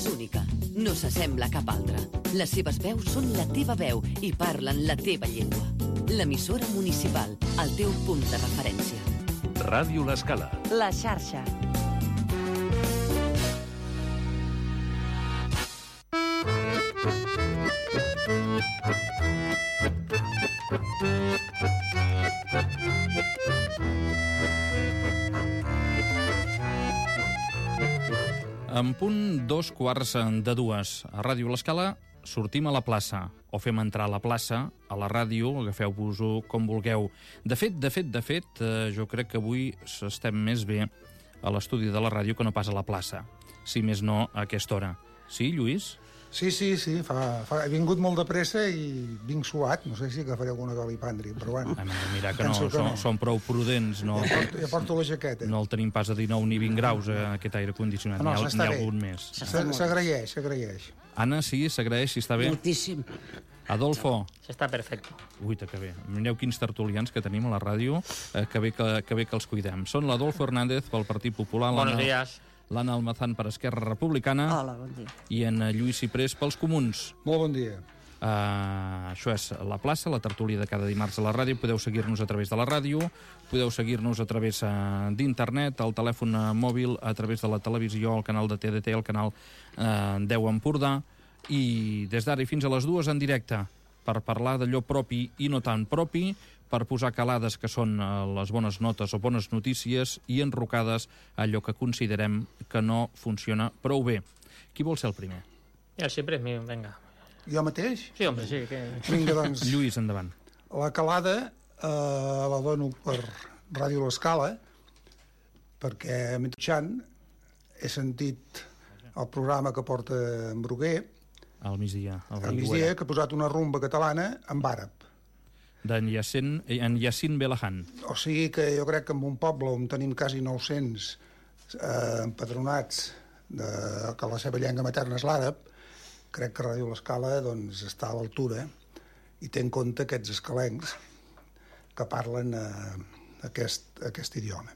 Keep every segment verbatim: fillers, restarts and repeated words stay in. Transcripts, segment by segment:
és única. No s'assembla a cap altra. Les seves veus són la teva veu i parlen la teva llengua. L'emissora municipal, el teu punt de referència. Ràdio L'Escala. La xarxa. En punt dos quarts de dues. A Ràdio L'Escala sortim a la plaça, o fem entrar a la plaça, a la ràdio, agafeu-vos-ho com vulgueu. De fet, de fet, de fet, eh, jo crec que avui estem més bé a l'estudi de la ràdio que no pas a la plaça. Si més no, a aquesta hora. Sí, Lluís? Sí, sí, sí, fa, fa, he vingut molt de pressa i vinc suat, no sé si agafaré alguna calipàndria, però bueno. Ah, mira, que no, que són, no, són prou prudents. No, ja, porto, ja porto la jaqueta. No el tenim pas a dinou ni vint graus, eh, aquest aire condicionat, no, no, n'hi ha algun més. S'agraeix, s'agraeix. Anna, sí, s'agraeix, si està bé? Moltíssim. Adolfo? S'està perfecte. Ui, que bé. Mireu quins tertulians que tenim a la ràdio, eh, que, bé que, que bé que els cuidem. Són l'Adolfo Hernández pel Partit Popular. Buenos días. L'Anna Almazán per Esquerra Republicana. Hola, bon dia. I en Lluís Ciprés pels Comuns. Molt bon dia. Uh, això és La Plaça, la tertúlia de cada dimarts a la ràdio. Podeu seguir-nos a través de la ràdio, podeu seguir-nos a través uh, d'internet, al telèfon uh, mòbil, a través de la televisió, al canal de T D T, al canal uh, deu Empordà, i des d'ara i fins a les dues en directe, per parlar d'allò propi i no tan propi, per posar calades que són les bones notes o bones notícies i enrocades allò que considerem que no funciona prou bé. Qui vol ser el primer? Ja, sempre és mi, vinga. Jo mateix? Sí, home, sí. Que... Vinga, doncs. Lluís, endavant. La calada eh, la dono per Ràdio L'Escala, perquè mentrestant he sentit el programa que porta en Bruguer, al migdia, al migdia, que ha posat una rumba catalana en àrab. D'en Yacine, en Yacine Belahan. O sigui que jo crec que en un poble on tenim quasi nou-cents eh, empadronats de, que la seva llengua materna és l'àrab, crec que Ràdio L'Escala doncs, està a l'altura i té en compte aquests escalencs que parlen eh, aquest, aquest idioma.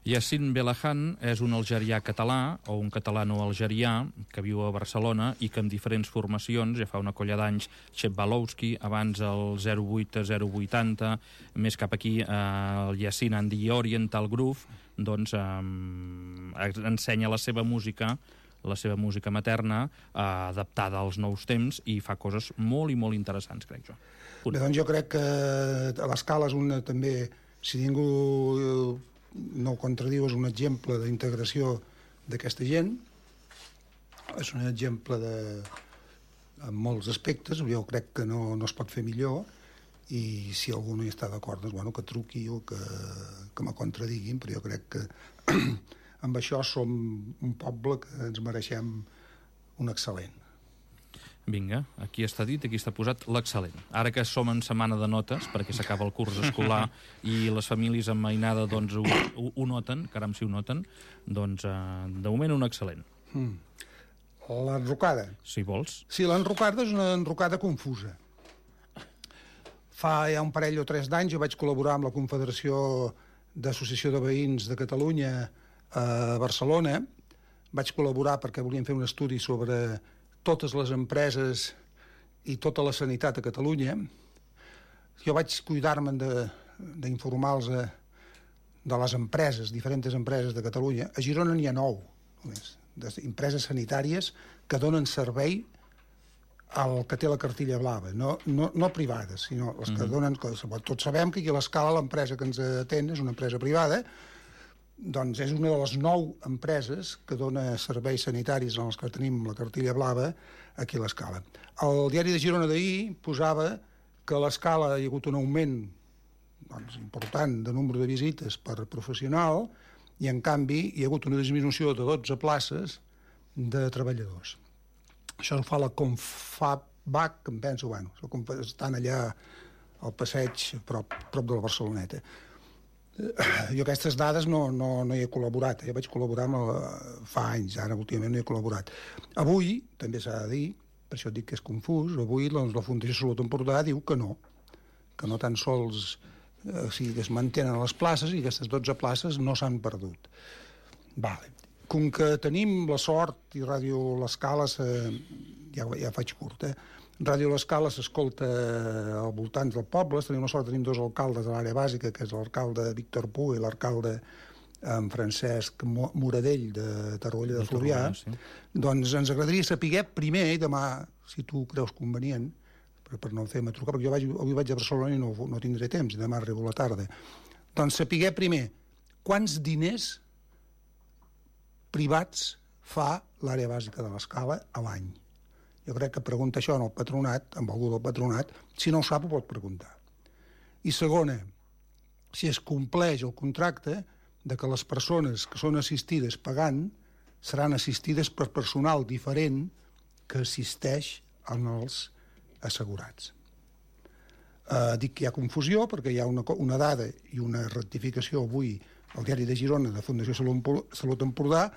Yacine Belahan és un algerià català, o un catalano-algerià, que viu a Barcelona i que amb diferents formacions, ja fa una colla d'anys, Xep Balowski, abans el zero vuit zero vuitanta, més cap aquí eh, el Yacine and the Oriental Groove, doncs eh, ensenya la seva música, la seva música materna, eh, adaptada als nous temps, i fa coses molt i molt interessants, crec jo. Punt. Bé, doncs jo crec que l'Escala és una, també, si ningú no ho contradiu, és un exemple d'integració d'aquesta gent, és un exemple de, en molts aspectes, jo crec que no, no es pot fer millor, i si algú no hi està d'acord, doncs, bueno, que truqui o que, que me contradiguin, però jo crec que amb això som un poble que ens mereixem un excel·lent. Vinga, aquí està dit, aquí està posat l'excel·lent. Ara que som en setmana de notes, perquè s'acaba el curs escolar i les famílies amb mainada doncs, ho, ho, ho noten, caram si ho noten, doncs eh, de moment un excel·lent. Mm. L'enrocada. Si vols. Sí, l'enrocada és una enrocada confusa. Fa ja un parell o tres d'anys jo vaig col·laborar amb la Confederació d'Associació de Veïns de Catalunya a Barcelona. Vaig col·laborar perquè volíem fer un estudi sobre totes les empreses i tota la sanitat a Catalunya. Jo vaig cuidar-me d'informar-los de, de les empreses, diferents empreses de Catalunya. A Girona n'hi ha nou, només, empreses sanitàries que donen servei al que té la cartilla blava, no, no, no privades, sinó les que donen... Tots sabem que aquí a l'Escala l'empresa que ens atén és una empresa privada, doncs és una de les nou empreses que dona serveis sanitaris en els que tenim la cartilla blava aquí a l'Escala. El diari de Girona d'ahir posava que a l'Escala hi ha hagut un augment doncs, important de nombre de visites per professional i en canvi hi ha hagut una disminució de dotze places de treballadors. Això ho fa la Confabc, em penso, bueno, estan allà al passeig prop, prop de la Barceloneta. Jo aquestes dades no, no, no hi he col·laborat, jo vaig col·laborar amb la, fa anys, ara últimament no hi he col·laborat. Avui, també s'ha de dir, per això dic que és confús, avui doncs, la Fundació Salut Empordà diu que no, que no tan sols eh, o sigui, es mantenen les places i aquestes dotze places no s'han perdut. Vale. Com que tenim la sort, i Ràdio L'Escala, eh, ja, ja faig curt, eh? Ràdio L'Escala s'escolta al voltant dels pobles, tenim la sort, tenim dos alcaldes de l'àrea bàsica, que és l'alcalde Víctor Puig i l'alcalde en Francesc Moradell de Torroella de Fluvià, sí. Doncs ens agradaria saber primer, i demà, si tu creus convenient, per, per no fer-me trucar, perquè jo vaig, avui vaig a Barcelona i no, no tindré temps, i demà arribo a la tarda. Doncs saber primer quants diners privats fa l'àrea bàsica de l'Escala a l'any. Jo crec que pregunta això en el patronat, amb algú del patronat, si no ho sap ho pot preguntar. I segona, si es compleix el contracte de que les persones que són assistides pagant seran assistides per personal diferent que assisteix als assegurats. Eh, dic que hi ha confusió perquè hi ha una, una dada i una rectificació avui al diari de Girona de Fundació Salut Empordà,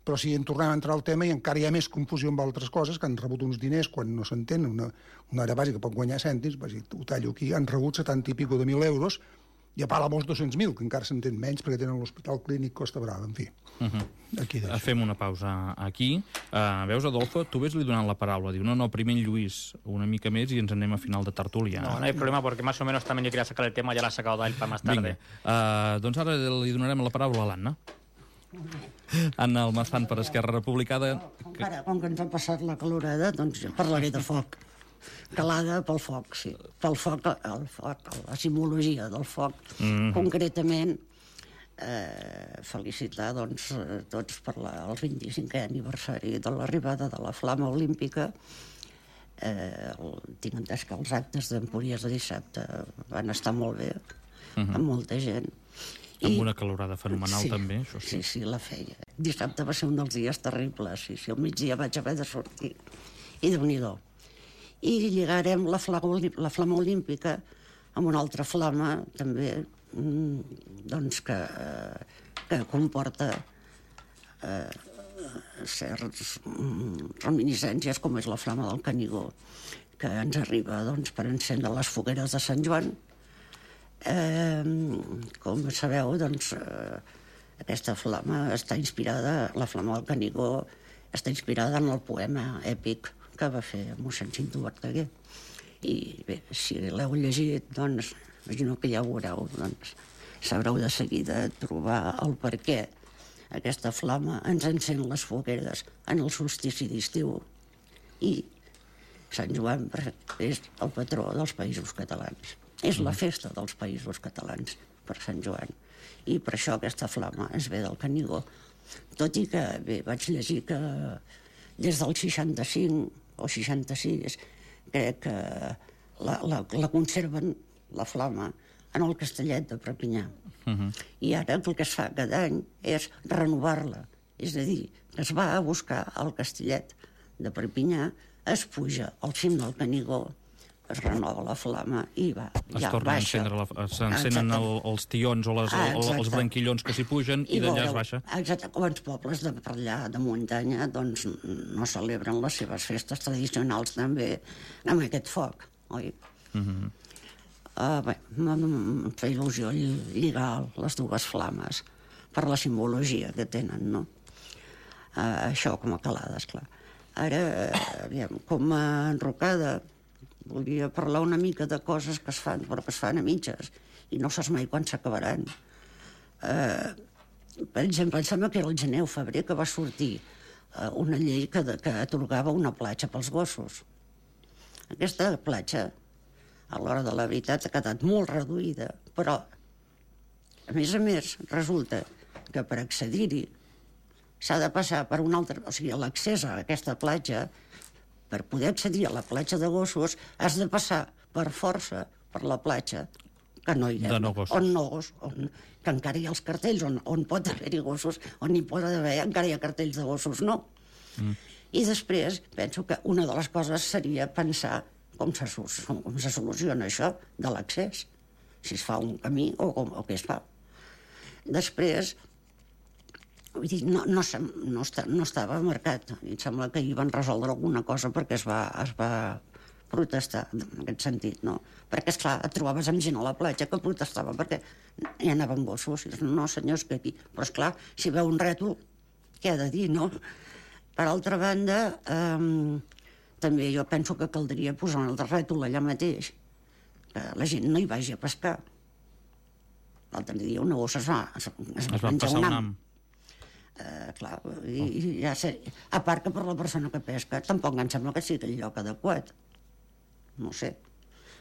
però si en tornem a entrar al tema i encara hi ha més confusió amb altres coses, que han rebut uns diners quan no s'entén, una, una àrea bàsica pot guanyar cèntims, ho tallo aquí, han rebut setanta i pico de mil euros, i a part amb els dos-cents mil, que encara s'entén menys perquè tenen l'Hospital Clínic Costa Brava, en fi. Uh -huh. Aquí deixo. Fem una pausa aquí. Uh, veus, Adolfo, tu ves-li donant la paraula. Diu, no, no, primer en Lluís, una mica més i ens anem a final de tertúlia. No, no hay problema, porque más o menos también yo quería sacar el tema, ya la ha sacado él para más tarde. Vinga, uh, doncs ara li donarem la paraula a l'Anna. Anna Almazán per Esquerra Republicana. Que... Ara, com que ens ha passat la calorada, doncs jo parlaré de foc. Calada pel foc, sí. Pel foc, el foc, la simbologia del foc. Mm. Concretament, eh, felicitar doncs, tots per la, el vint-i-cinquè aniversari de l'arribada de la Flama Olímpica. Eh, el, tinc entès que els actes d'Empúries de dissabte van estar molt bé, uh -huh. amb molta gent. Amb una calorada fenomenal, sí, també, això sí. Sí, sí, la feia. Dissabte va ser un dels dies terribles, sí, sí, al migdia vaig haver de sortir. I Déu-n'hi-do. I lligarem la flama, la flama olímpica amb una altra flama, també, doncs, que, que comporta eh, certs reminiscències, com és la flama del Canigó, que ens arriba, doncs, per encendre les fogueres de Sant Joan. Eh, com sabeu, doncs, eh, aquesta flama està inspirada, la flama del Canigó, està inspirada en el poema èpic que va fer mossèn Cinto Verdaguer. I bé, si l'heu llegit, doncs, imagino que ja ho veureu, doncs, sabreu de seguida trobar el per què aquesta flama ens encén les fogueres en el solstici d'estiu. I Sant Joan és el patró dels Països Catalans. És la festa dels Països Catalans per Sant Joan. I per això aquesta flama es ve del Canigó. Tot i que, bé, vaig llegir que des del seixanta-cinc o seixanta-sis crec que la, la, la conserven, la flama, en el Castellet de Perpinyà. Uh -huh. I ara el que es fa cada any és renovar-la. És a dir, que es va a buscar al Castellet de Perpinyà, es puja al cim del Canigó, es renova la flama i va, es ja torna baixa. S'encenen el, els tions o les, ah, el, els branquillons que s'hi pugen i, i d'allà es baixa. Exacte, com els pobles de per allà de muntanya doncs no celebren les seves festes tradicionals també amb aquest foc, oi? Uh -huh. uh, bé, em fa il·lusió lligar les dues flames per la simbologia que tenen, no? Uh, això com a calada, esclar. Ara, aviam, com a enrocada, volia parlar una mica de coses que es fan, però que es fan a mitges, i no saps mai quan s'acabaran. Eh, per exemple, em sembla que era el gener o febrer que va sortir eh, una llei que, de, que atorgava una platja pels gossos. Aquesta platja, a l'hora de la veritat, ha quedat molt reduïda, però, a més a més, resulta que per accedir-hi s'ha de passar per un altre... O sigui, l'accés a aquesta platja, per poder accedir a la platja de gossos, has de passar per força per la platja, que no hi ha, de no gossos. on no gos, on, que encara hi ha els cartells, on, on pot haver-hi gossos, on hi pot haver, encara hi ha cartells de gossos, no. Mm. I després, penso que una de les coses seria pensar com se, com se soluciona això de l'accés, si es fa un camí o, com, o què es fa. Després, vull dir, no, no, no, està, no estava marcat. Em sembla que hi van resoldre alguna cosa perquè es va, es va protestar en aquest sentit, no? Perquè, esclar, et trobaves amb gent a la platja que protestava perquè hi anaven gossos. I dius, no, senyors, que aquí... Però, esclar, si veu un rètol què ha de dir, no? Per altra banda, eh, també jo penso que caldria posar un altre rètol allà mateix, que la gent no hi vagi a pescar. L'altre dia una gossa es va, es, es Es va passar un ham. Uh, clar, i, i ja sé, a part que per la persona que pesca tampoc em sembla que sigui el lloc adequat. No sé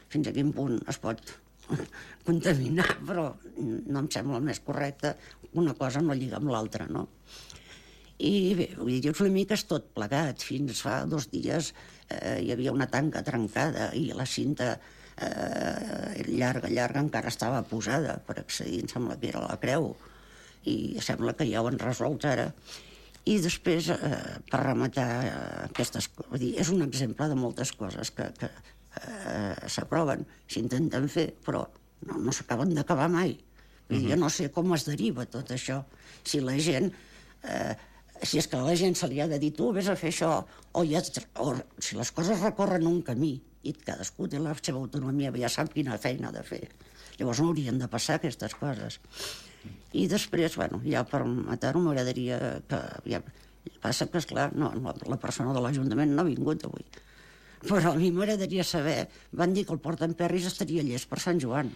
fins a quin punt es pot contaminar, però no em sembla el més correcte. Una cosa no lliga amb l'altra, no? I bé, vull dir, una mica és tot plegat. Fins fa dos dies eh, hi havia una tanca trencada i la cinta eh, llarga, llarga encara estava posada per accedir, em sembla que era la creu, i sembla que ja ho han resolt ara. I després, eh, per rematar eh, aquestes coses, vull dir, és un exemple de moltes coses que, que eh, s'aproven, s'intenten fer, però no, no s'acaben d'acabar mai. Vull dir, jo no sé com es deriva tot això. Si la gent... Eh, si és que a la gent se li ha de dir tu vés a fer això, o, ja, o si les coses recorren un camí i cadascú té la seva autonomia, ja sap quina feina ha de fer. Llavors no haurien de passar aquestes coses. I després, bueno, ja per matar-ho m'agradaria que... Ja, passa que, esclar, no, la persona de l'Ajuntament no ha vingut avui. Però a mi m'agradaria saber... Van dir que el Port d'Emperris estaria llest per Sant Joan.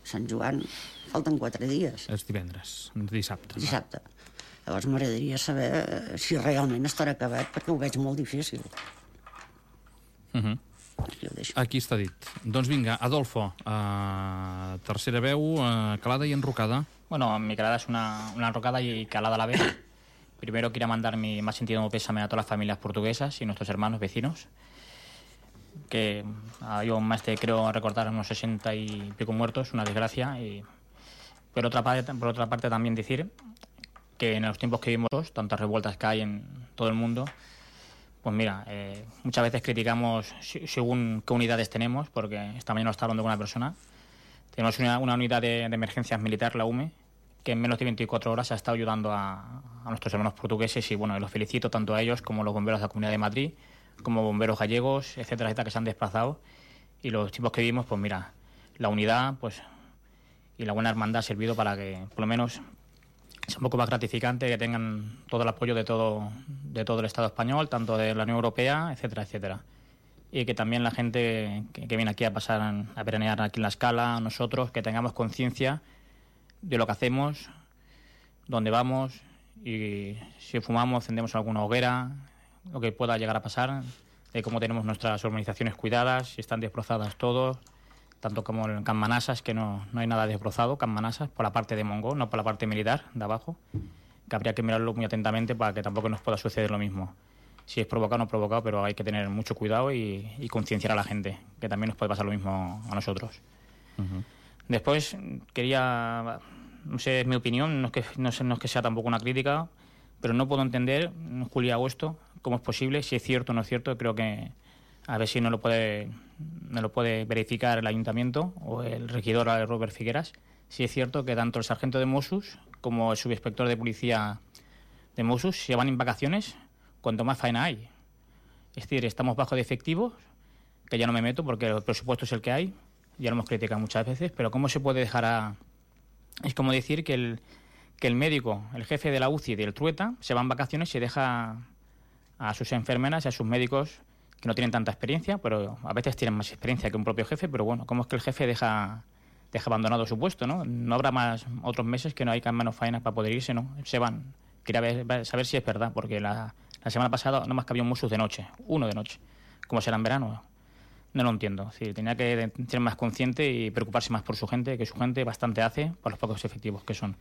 Sant Joan, falten quatre dies. És divendres, dissabte. Dissabte. Llavors m'agradaria saber si realment estarà acabat, perquè ho veig molt difícil. Uh -huh. Aquí està dit. Doncs vinga, Adolfo, uh, tercera veu, uh, calada y enrocada. Bueno, mi calada es una, una enrocada y calada a la vez. Primero quiero mandar mi más sentido pésame a todas las familias portuguesas y nuestros hermanos vecinos, que uh, yo más te creo recordar unos sesenta y pico muertos, una desgracia. Y por otra parte, por otra parte también decir que en los tiempos que vivimos, tantas revueltas que hay en todo el mundo, pues mira, eh, muchas veces criticamos según qué unidades tenemos, porque esta mañana estaba hablando con una persona. Tenemos una, una unidad de, de emergencias militar, la U M E, que en menos de veinticuatro horas ha estado ayudando a, a nuestros hermanos portugueses, y bueno, los felicito tanto a ellos como a los bomberos de la Comunidad de Madrid, como bomberos gallegos, etcétera, etcétera, que se han desplazado. Y los tiempos que vivimos, pues mira, la unidad pues y la buena hermandad ha servido para que, por lo menos, es un poco más gratificante que tengan todo el apoyo de todo, de todo el Estado español, tanto de la Unión Europea, etcétera, etcétera. Y que también la gente que, que viene aquí a pasar a veranear aquí en La Scala, nosotros, que tengamos conciencia de lo que hacemos, dónde vamos, y si fumamos, encendemos alguna hoguera, lo que pueda llegar a pasar, de cómo tenemos nuestras organizaciones cuidadas, si están desbrozadas todos, tanto como en Can Manasas, que no, no hay nada desbrozado, Can Manasas, por la parte de Mongo, no por la parte militar de abajo, que habría que mirarlo muy atentamente para que tampoco nos pueda suceder lo mismo. Si es provocado o no provocado, pero hay que tener mucho cuidado y, y concienciar a la gente, que también nos puede pasar lo mismo a nosotros. Uh-huh. Después quería, no sé, es mi opinión, no es, que, no, sé, no es que sea tampoco una crítica, pero no puedo entender, en julio y agosto, cómo es posible, si es cierto o no es cierto. Creo que a ver si no lo puede, no lo puede verificar el ayuntamiento o el regidor Robert Figueras, si es cierto que tanto el sargento de Mossos como el subinspector de policía de Mossos se van en vacaciones cuanto más faena hay. Es decir, estamos bajo de efectivos, que ya no me meto porque el presupuesto es el que hay, ya lo hemos criticado muchas veces, pero ¿cómo se puede dejar a...? Es como decir que el, que el médico, el jefe de la U C I y del Trueta, se va en vacaciones y deja a sus enfermeras y a sus médicos que no tienen tanta experiencia, pero a veces tienen más experiencia que un propio jefe, pero bueno, ¿cómo es que el jefe deja, deja abandonado su puesto, no? No habrá más otros meses que no hay menos faenas para poder irse, ¿no? Se van. Quería ver, saber si es verdad, porque la, la semana pasada no más que había un Mossos de noche, uno de noche. ¿Cómo será en verano? No lo entiendo. Sí, tenía que ser más consciente y preocuparse más por su gente, que su gente bastante hace por los pocos efectivos que son.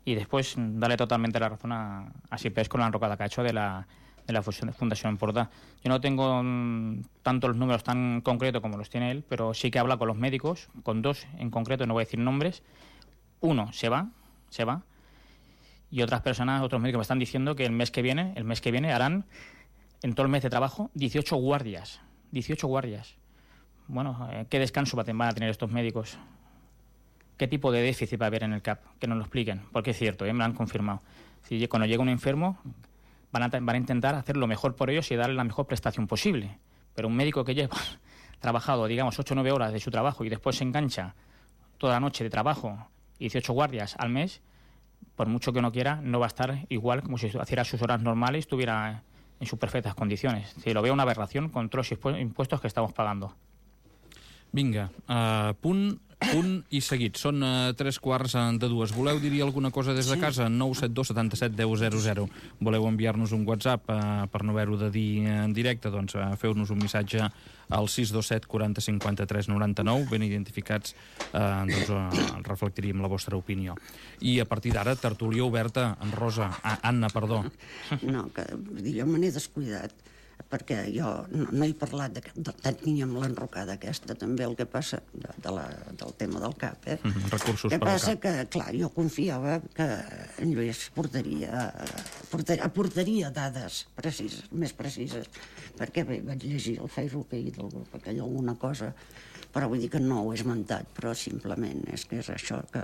Y después darle totalmente la razón a, a Sipes con la enrocada que ha hecho de la... de la Fundación Empordà. Yo no tengo mmm, tanto los números tan concretos como los tiene él, pero sí que habla con los médicos, con dos en concreto, no voy a decir nombres. Uno se va, se va, y otras personas, otros médicos me están diciendo que el mes que viene, el mes que viene harán, en todo el mes de trabajo, dieciocho guardias. dieciocho guardias. Bueno, eh, ¿qué descanso van a tener estos médicos? ¿Qué tipo de déficit va a haber en el C A P? Que nos lo expliquen, porque es cierto, eh, me lo han confirmado. Si cuando llega un enfermo, Van a, van a intentar hacer lo mejor por ellos y darle la mejor prestación posible. Pero un médico que lleva trabajado, digamos, ocho o nueve horas de su trabajo y después se engancha toda la noche de trabajo y dieciocho guardias al mes, por mucho que uno quiera, no va a estar igual como si hiciera sus horas normales y estuviera en sus perfectas condiciones. Si lo veo una aberración con todos los impuestos que estamos pagando. Vinga, uh, punt, punt i seguit. Són uh, tres quarts de dues. Voleu dir alguna cosa des de casa? nou set dos setanta-set deu zero zero. Voleu enviar-nos un WhatsApp uh, per no haver-ho de dir en directe? Doncs uh, feu-nos un missatge al sis dos set quaranta cinquanta-tres noranta-nou. Ben identificats, uh, doncs uh, reflectiríem la vostra opinió. I a partir d'ara, tertúlia oberta en Rosa. Ah, Anna, perdó. No, que vull dir, jo me n'he descuidat, perquè jo no, no he parlat de, de, de, ni amb l'enrocada aquesta, també el que passa de, de la, del tema del C A P. Eh? Mm -hmm, recursos que per al passa C A P. que, clar, jo confiava que en Lluís portaria, portaria, aportaria dades precises, més precises, perquè bé, vaig llegir el Facebook ahir del grup aquell alguna cosa, però vull dir que no ho he esmentat, però simplement és que és això que,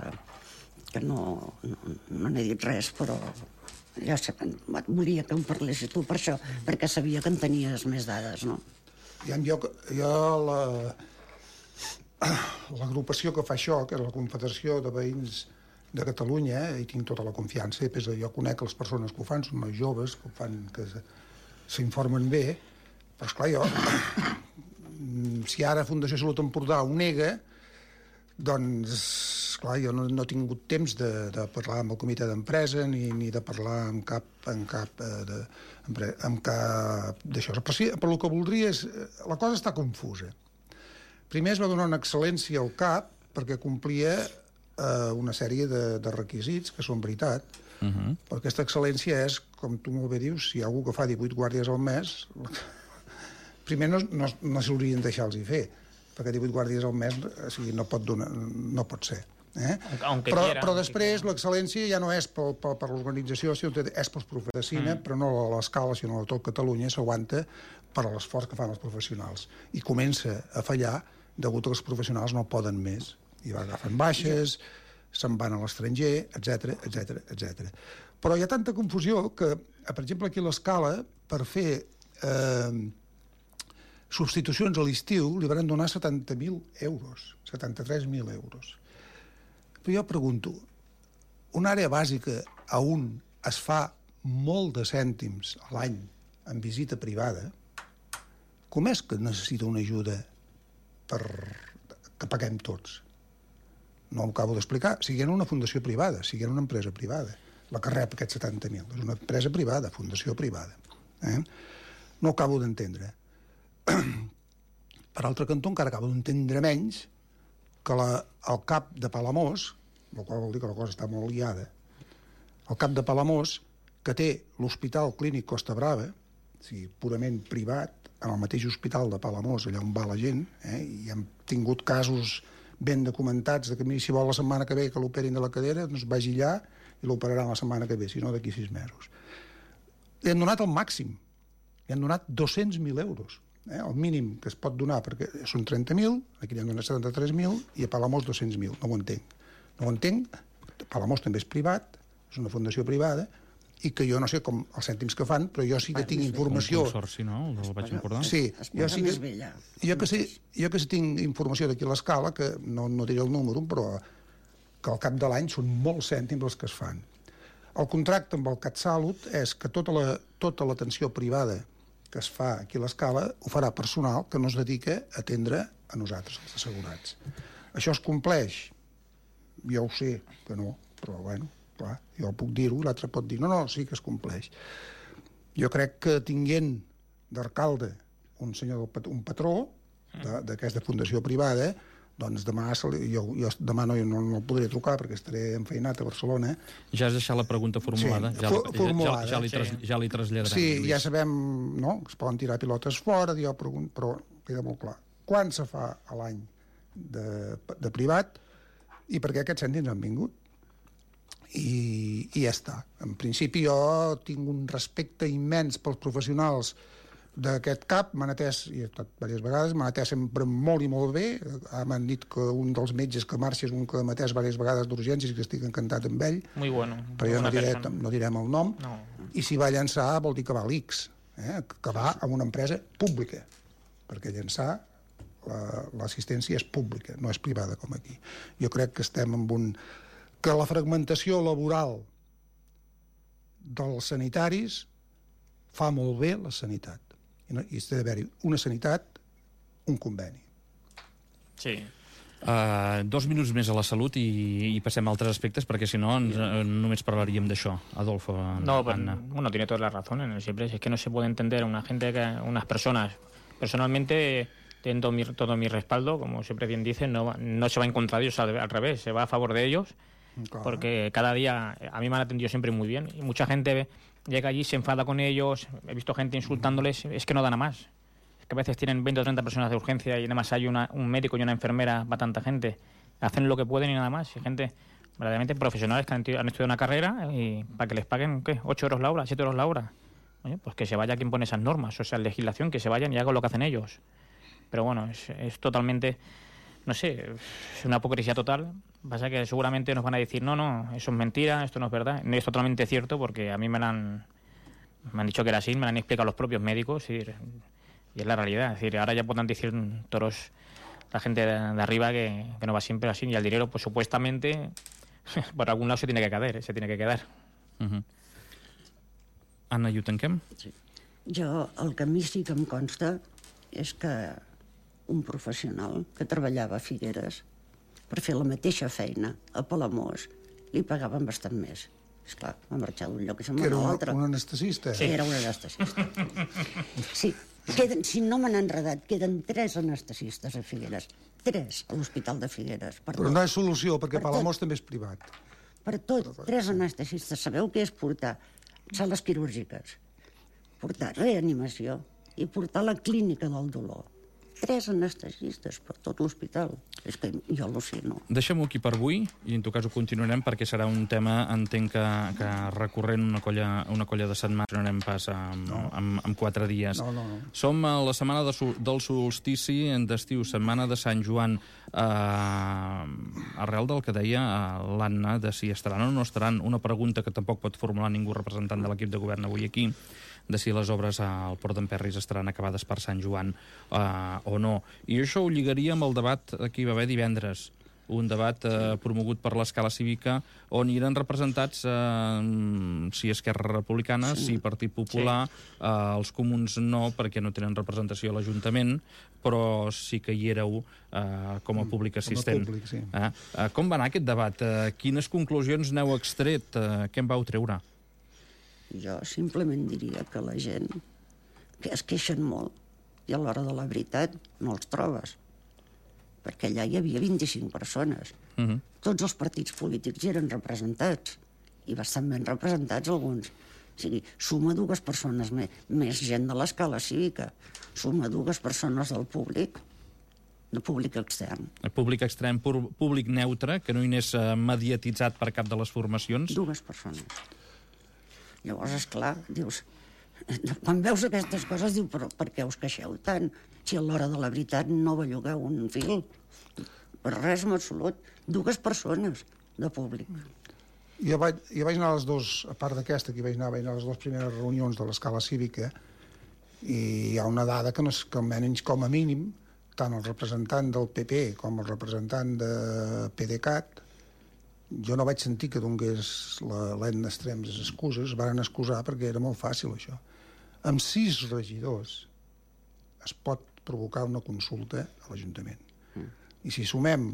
que no, no, no n'he dit res, però ja sé, volia que em parlessis tu per això, perquè sabia que en tenies més dades, no? Ja, jo, jo la, l'agrupació que fa això, que és la Confederació de Veïns de Catalunya, hi tinc tota la confiança, i després jo conec les persones que ho fan, són nois joves, que ho fan, que s'informen bé, però esclar, jo, si ara Fundació Salut Empordà ho nega, doncs, clar, jo no, no he tingut temps de, de parlar amb el comitè d'empresa ni, ni de parlar amb cap, amb cap, de, amb cap d'això. Però sí, però el que voldria és... La cosa està confusa. Primer es va donar una excel·lència al C A P perquè complia eh, una sèrie de, de requisits, que són veritat, uh -huh. però aquesta excel·lència és, com tu molt bé dius, si hi ha algú que fa divuit guàrdies al mes, primer no, no, no s'haurien de deixar-los fer, perquè divuit guàrdies al mes, o sigui, no pot, donar, no pot ser. Eh? Aunque però, quiera, però després l'excel·lència ja no és per, per, per l'organització, sinó que és pels professionals, mm. però no a l'escala, sinó a tot Catalunya, s'aguanta per l'esforç que fan els professionals. I comença a fallar degut a que els professionals no poden més. I agafen baixes, se'n van a l'estranger, etcètera, etcètera, etcètera. Però hi ha tanta confusió que, per exemple, aquí a l'escala, per fer eh, substitucions a l'estiu, li van donar setanta mil euros, setanta-tres mil euros. Però jo pregunto, una àrea bàsica a on es fa molt de cèntims a l'any en visita privada, com és que necessita una ajuda per que paguem tots? No ho acabo d'explicar. Siguent una fundació privada, siguent una empresa privada, la que rep aquests setanta mil. És una empresa privada, fundació privada. Eh? No ho acabo d'entendre. Per altre cantó, encara acabo d'entendre menys que la, el cap de Palamós, el qual vol dir que la cosa està molt liada, el cap de Palamós, que té l'Hospital Clínic Costa Brava, o sigui, purament privat, en el mateix hospital de Palamós, allà on va la gent, eh, i hem tingut casos ben documentats de que si vol la setmana que ve que l'operin de la cadera, doncs vagi allà i l'operaran la setmana que ve, si no d'aquí sis mesos. Li han donat el màxim, li han donat dos-cents mil euros. Eh, el mínim que es pot donar, perquè són trenta mil, aquí li han donat setanta-tres mil, i a Palamós dos-cents mil. No ho entenc. No ho entenc. Palamós també és privat, és una fundació privada, i que jo no sé com els cèntims que fan, però jo sí que tinc informació... Un consorci, no? El del Baix Empordà? Sí, jo sí que, jo que, sé, jo que sí tinc informació d'aquí a l'escala, que no, no diré el número, però que al cap de l'any són molts cèntims els que es fan. El contracte amb el CatSalut és que tota la, tota l'atenció privada que es fa aquí a l'escala ho farà personal que no es dedica a atendre a nosaltres, els assegurats. Això es compleix? Jo ho sé que no, però bueno, clar, jo puc dir-ho, l'altre pot dir no, no, sí que es compleix. Jo crec que tinguent d'alcalde un senyor, un patró d'aquesta fundació privada, doncs demà, jo, jo demà no, no, no el podré trucar perquè estaré enfeinat a Barcelona. Ja has deixat la pregunta formulada. Sí, ja, formulada. Ja, ja, li, tras, ja li traslladarem. Sí, Lluís. Ja sabem, no?, que es poden tirar pilotes fora, jo pregunto, però queda molt clar. Quan se fa a l'any de, de privat i per què aquests cèntims han vingut? I, i ja està. En principi jo tinc un respecte immens pels professionals d'aquest cap, m'han atès, i he estat diverses vegades, m'han atès sempre molt i molt bé. M'han dit que un dels metges que marxa és un que m'ha atès diverses vegades d'urgències i que estic encantat amb ell. Muy bueno. Però jo no, diré, no direm el nom. No. I si va llançar vol dir que va a l'I C S, eh? Que va a una empresa pública, perquè llançar l'assistència és pública, no és privada com aquí. Jo crec que estem amb un... que la fragmentació laboral dels sanitaris fa molt bé la sanitat. I, no, i ha d'haver-hi una sanitat, un conveni. Sí. Uh, dos minuts més a la salut i, i passem a altres aspectes, perquè si no ens, uh, només parlaríem d'això. Adolfo, No, pues, Anna. uno tiene toda la razón en el siempre. Es que no se puede entender a una gente, que unas personas, personalmente, tienen todo mi, todo mi respaldo, como siempre bien dicen, no, no se va en contra de ellos, al, al revés, se va a favor de ellos, Claro. porque cada día a mí me han atendido siempre muy bien. Y mucha gente llega allí, se enfada con ellos, he visto gente insultándoles, es que no dan a más. Que a veces tienen veinte o treinta personas de urgencia y nada más hay una, un médico y una enfermera para tanta gente. Hacen lo que pueden y nada más. Y gente verdaderamente profesionales que han, han estudiado una carrera y para que les paguen, ¿qué? ¿ocho euros la hora? ¿siete euros la hora? Oye, pues que se vaya quien pone esas normas, o sea, legislación, que se vayan y hagan lo que hacen ellos. Pero bueno, es, es totalmente, no sé, es una hipocresía total. Pasa que seguramente nos van a decir, no, no, eso es mentira, esto no es verdad. No es totalmente cierto porque a mí me lo han, me han dicho que era así, me lo han explicado los propios médicos y... Y es la realidad. Es decir, ahora ya pueden decir todos la gente de, de arriba que, que no va siempre así. Y el dinero, pues supuestamente, por algún lado se tiene que quedar, ¿eh? se tiene que quedar. Uh-huh. Anna, i ho tanquem? Sí. Jo, el que a mi sí que em consta és que un professional que treballava a Figueres per fer la mateixa feina a Palamós li pagaven bastant més. Esclar, va marxar d'un lloc i se'n va Que era a un, l'altre. un anestesista. Sí, era un anestesista. Sí, queden, si no me n'han enredat, queden tres anestesistes a Figueres. Tres a l'Hospital de Figueres. Per Però tot. no és solució, perquè Per Palamós també és privat. Per tot, tres anestesistes. Sabeu què és portar sales quirúrgiques, portar reanimació i portar la clínica del dolor. Tres anestesistes per tot l'hospital. És que jo al·lucino. Deixem-ho aquí per avui i en tot cas ho continuarem perquè serà un tema, entenc que, que recorrent una colla, una colla de setmanes no anem pas amb, no. amb, amb quatre dies. No, no, no. Som a la setmana de, del solstici d'estiu, setmana de Sant Joan, eh, arrel del que deia l'Anna de si estaran o no estaran, una pregunta que tampoc pot formular ningú representant de l'equip de govern avui aquí, de si les obres al Port d'en Perris estaran acabades per Sant Joan eh, o no. I això ho lligaria amb el debat que hi va haver divendres, un debat eh, promogut per l'Escala Cívica on hi eren representats eh, si Esquerra Republicana, sí. si Partit Popular, sí. eh, els Comuns no, perquè no tenen representació a l'Ajuntament, però sí que hi éreu eh, com a públic assistent. Com a públic, sí. eh? Eh, com va anar aquest debat? Eh, quines conclusions n'heu extret? Eh, què en vau treure? Jo simplement diria que la gent que es queixen molt i a l'hora de la veritat no els trobes. Perquè allà hi havia vint-i-cinc persones. Uh-huh. Tots els partits polítics hi eren representats i bastant ben representats alguns. O sigui, suma dues persones més, més gent de l'Escala Cívica, suma dues persones del públic, de públic extern. El públic extrem, públic neutre, que no hi anés eh, mediatitzat per cap de les formacions. Dues persones. Llavors, esclar, dius... Quan veus aquestes coses, dius, però per què us queixeu tant? Si a l'hora de la veritat no bellugueu un fil. Per res en absolut. Dues persones de públic. Jo vaig, jo vaig anar a les dues, a part d'aquesta, que vaig anar, vaig anar a les dues primeres reunions de l'Escala Cívica, i hi ha una dada que, no és, que almenys com a mínim, tant el representant del P P com el representant de PDeCAT, jo no vaig sentir que donés l'Edna Estrems les excuses, es van excusar perquè era molt fàcil això. Amb sis regidors es pot provocar una consulta a l'Ajuntament. Mm. I si sumem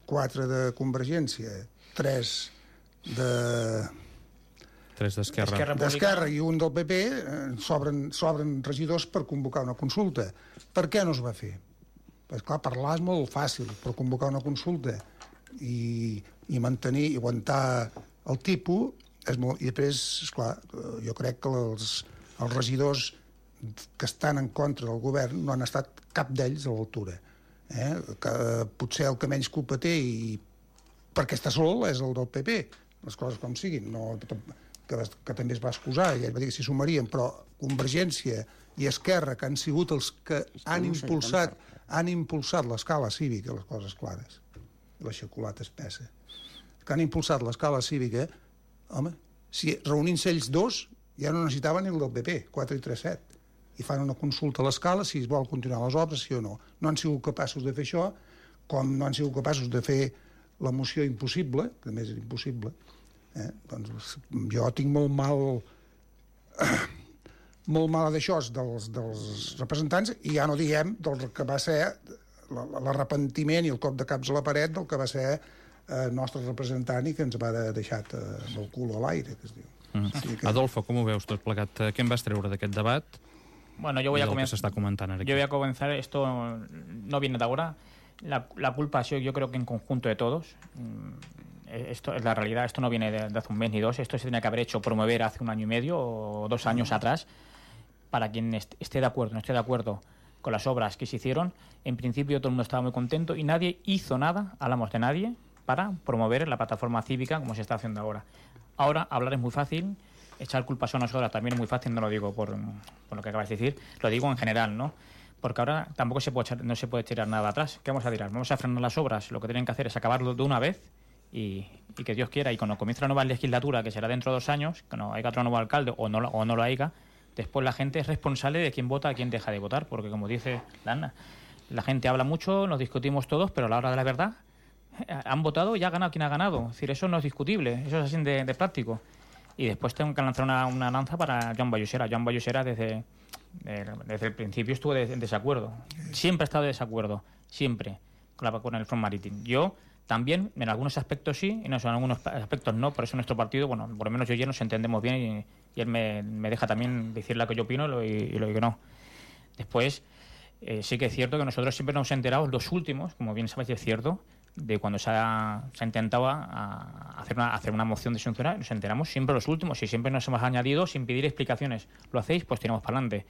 quatre de Convergència, tres de... Tres d'Esquerra. D'Esquerra i un del P P, eh, sobren, sobren regidors per convocar una consulta. Per què no es va fer? Pues, clar, parlar és molt fàcil, però convocar una consulta i, i mantenir i aguantar el tipus és molt... I després, esclar, jo crec que els, els regidors que estan en contra del govern no han estat cap d'ells a l'altura. Eh? Que, potser el que menys culpa té i perquè està sol és el del P P, les coses com siguin, no, que, que també es va excusar, i ell va dir que s'hi sumarien, però Convergència i Esquerra, que han sigut els que han impulsat, han impulsat l'Escala Cívica, les coses clares, la xocolata espessa, que han impulsat l'Escala Cívica, home, si reunint-se ells dos ja no necessitaven el del P P, quatre i tres set, i fan una consulta a l'Escala si es vol continuar les obres, sí o no. No han sigut capaços de fer això, com no han sigut capaços de fer la moció impossible, que a més és impossible, Eh? Doncs jo tinc molt mal molt mala d'això dels, dels representants, i ja no diem del que va ser l'arrepentiment i el cop de caps a la paret del que va ser el nostre representant i que ens va deixar amb el cul a l'aire, que es diu. Mm. Sí que... Adolfo, com ho veus tot plegat? Què en vas treure d'aquest debat? Bueno, yo voy a comenzar. Yo voy a comenzar. Esto no viene de ahora. La, la culpa ha sido, yo creo que en conjunto de todos. Esto es la realidad. Esto no viene de, de hace un mes ni dos. Esto se tenía que haber hecho promover hace un año y medio o dos años atrás. Para quien esté de acuerdo, no esté de acuerdo con las obras que se hicieron, en principio todo el mundo estaba muy contento y nadie hizo nada, hablamos de nadie, para promover la plataforma cívica como se está haciendo ahora. Ahora hablar es muy fácil. Echar culpas a nosotras también es muy fácil, no lo digo por, por lo que acabas de decir, lo digo en general, ¿no? Porque ahora tampoco se puede echar, no se puede tirar nada atrás. ¿Qué vamos a tirar? Vamos a frenar las obras, lo que tienen que hacer es acabarlo de una vez y, y que Dios quiera, y cuando comience la nueva legislatura, que será dentro de dos años, que no haya otro nuevo alcalde o no, o no lo haya, después la gente es responsable de quién vota, a quién deja de votar, porque como dice Lana, la gente habla mucho, nos discutimos todos, pero a la hora de la verdad han votado y ha ganado quien ha ganado. Es decir, eso no es discutible, eso es así de, de práctico. Y después tengo que lanzar una, una lanza para Joan Vallosera. Joan Vallosera desde, de, desde el principio estuvo de, en desacuerdo. Siempre ha estado de desacuerdo, siempre, con, la, con el Front Marítim. Yo también, en algunos aspectos sí, y en algunos aspectos no. Por eso nuestro partido, bueno, por lo menos yo y él nos entendemos bien y, y él me, me deja también decir lo que yo opino y lo, y lo que no. Después, eh, sí que es cierto que nosotros siempre nos hemos enterado, los últimos, como bien sabéis, es cierto, de cuando se ha, se ha intentado a, a hacer, una, hacer una moción de censura, nos enteramos siempre los últimos y siempre nos hemos añadido sin pedir explicaciones. ¿Lo hacéis? Pues tiramos para adelante.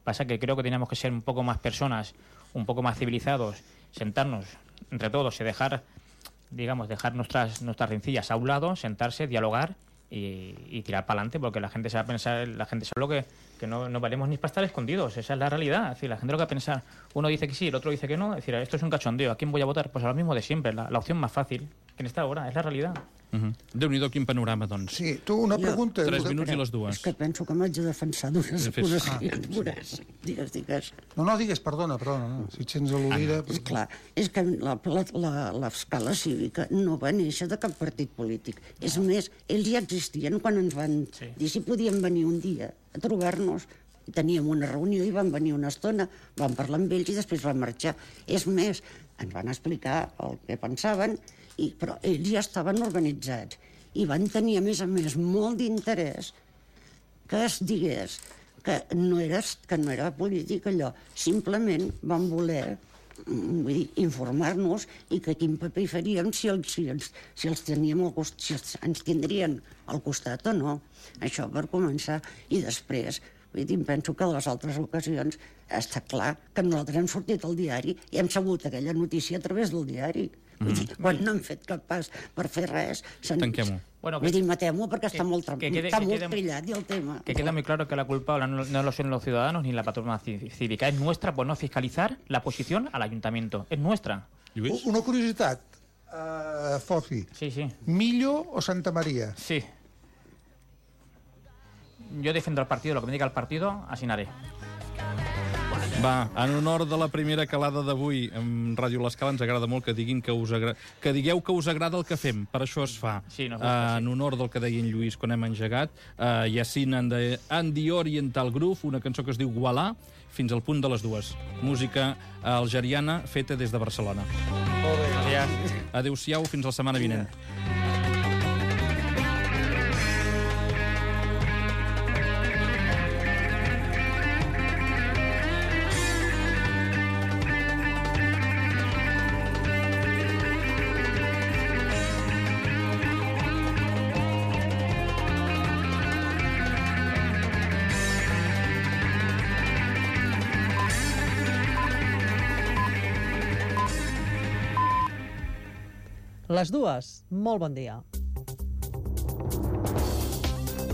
Pasa que creo que teníamos que ser un poco más personas, un poco más civilizados, sentarnos entre todos y dejar, digamos, dejar nuestras, nuestras rencillas a un lado, sentarse, dialogar y, y tirar para adelante, porque la gente se va a pensar, la gente sabe lo que, que no, no valemos ni para estar escondidos, esa es la realidad. Es decir, la gente lo que va a pensar, uno dice que sí, el otro dice que no, es decir, esto es un cachondeo, ¿a quién voy a votar? Pues a lo mismo de siempre, la, la opción más fàcil, que en esta hora, és la realitat. Uh-huh. Déu-n'hi-do, quin panorama, doncs. Sí, tu, una Jo- pregunta... Tres minuts i les dues. És que penso que m'haig de defensar d'unes Sí, fes- acusacions. Veuràs. Digues, digues. No, no, digues, perdona, perdona, no. Si et sents al·ludida... És clar, és que la, la, la, l'escala cívica no va néixer de cap partit polític. És més, ells ja existien quan ens van Sí. dir si podíem venir un dia a trobar-nos. Teníem una reunió i van venir una estona, vam parlar amb ells i després van marxar. És més, ens van explicar el que pensaven, i, però ells ja estaven organitzats i van tenir, a més a més, molt d'interès que es digués que no era, que no era polític allò. Simplement van voler mm, vull dir, informar-nos i que quin paper hi faríem si els, si els, si els teníem al costat, si els, ens tindrien al costat o no. Això per començar. I després, vull dir, em penso que a les altres ocasions està clar que nosaltres hem sortit al diari i hem sabut aquella notícia a través del diari. Vull dir, quan no hem fet cap pas per fer res... se'n- Tanquem-ho. Bueno, Vull que- dir, matem-ho perquè està que- molt, tram- que quede- està que molt quede- trillat i el tema. Que queda muy claro que la culpable no, no lo son los ciudadanos ni la plataforma cí- cívica, es nuestra por no fiscalizar la posición al ayuntamiento, es nuestra. Lluís? Una curiositat, uh, Fofi. Sí, sí. Millo o Santa Maria? Sí. Yo defiendo al partido, lo que me diga el partido, así haré. Va, en honor de la primera calada d'avui en Ràdio L'Escala, ens agrada molt que diguin que us agra... que digueu que us agrada el que fem, per això es fa. Sí, nos uh, gusta, sí. En honor del que deia en Lluís quan hem engegat, uh, Yacine and the, and the Oriental Groove, una cançó que es diu Voilà, fins al punt de les dues. Música algeriana feta des de Barcelona. Gracias. Adéu-siau, fins la setmana vinent. Les dues, molt bon dia.